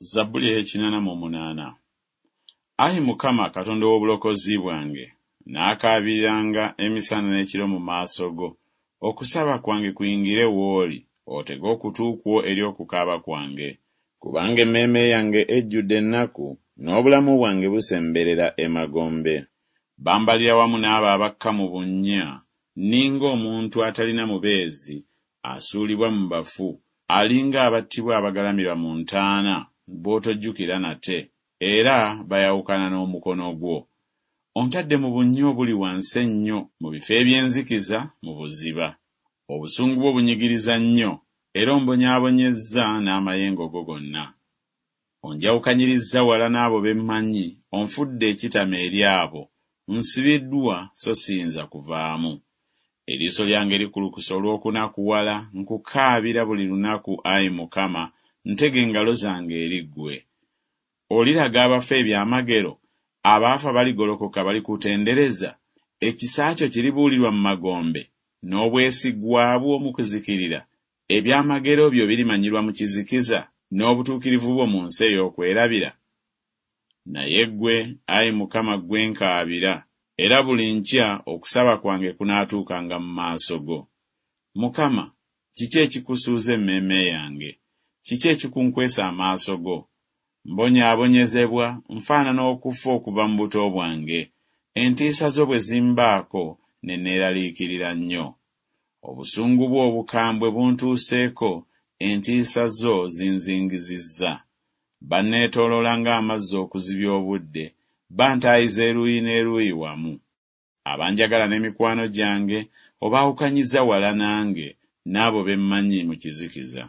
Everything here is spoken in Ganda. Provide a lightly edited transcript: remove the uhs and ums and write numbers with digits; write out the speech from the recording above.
Zabbuli ey'ekinana mu munaana. Ayi Mukama Katonda ow'obulokozi bwange, nnaakaabiriranga emisana n'ekiro mu maaso go, okusaba kwange kuyingire w'oli, otege okutu kwo eri okukaaba kwange. Kubanga emmeeme yange ejjudde ennaku, n'obulamu bwange busemberera emagombe. Bambalira wamu n'abo abakka mu bunnya, nninga omuntu atalina mubeezi, asuulibwa mu bafu, ali ng'abattibwa abagalamira mu ntaana, b'otojjukira nate, era bayawukana n'omukono gwo. Ontadde mu bunnya obuli wansi ennyo, mu bifo eby'enzikiza, mu buziba. Obusungu bwo bunyigiriza nnyo, era ombonyaabonyezza n'amayengo go gonna. Onjawukanyirizza wala n'abo be mmanyi, onfudde ekitama eri abo, nsibiddwa so siyinza kuvaamu. Eriiso lyange likulukuse olw'okunakuwala, nkukaabira buli lunaku, ayi Mukama, ntega engalo zange eri ggwe. Oliraga abafu ebyamagero? Abaafa baligolokoka balikutendereza? Ekisa kyo kiribuulirwa mu magombe, n'obwesigwa bwo mu kuzikirira? Ebyamagero byo birimanyirwa mu kizikiza, n'obutuukirivu bwo mu nsi ey'okwerabira? Naye ggwe, ayi Mukama, ggwe nkaabira, era buli nkya okusaba kwange kunaatuukanga mu maaso go. Mukama, kiki ekikusuuza emmeeme yange? Kiki ekikunkwese amaaso go? Mbonyaabonyezebwa, nfaanana okufa okuva mu buto bwange. Entiisa zo bwe zimbaako, ne neeraliikirira nnyo. Obusungu bwo obukambwe buntuuseeko, entiisa zo zinzingizizza. Banneetooloola ng'amazzi okuzibya obudde, bantaayiza eruuyi n'eruuyi wamu. Abanjagala ne mikwano gyange obaawukanyizza wala nange, n'abo be mmanyi mu kizikiza.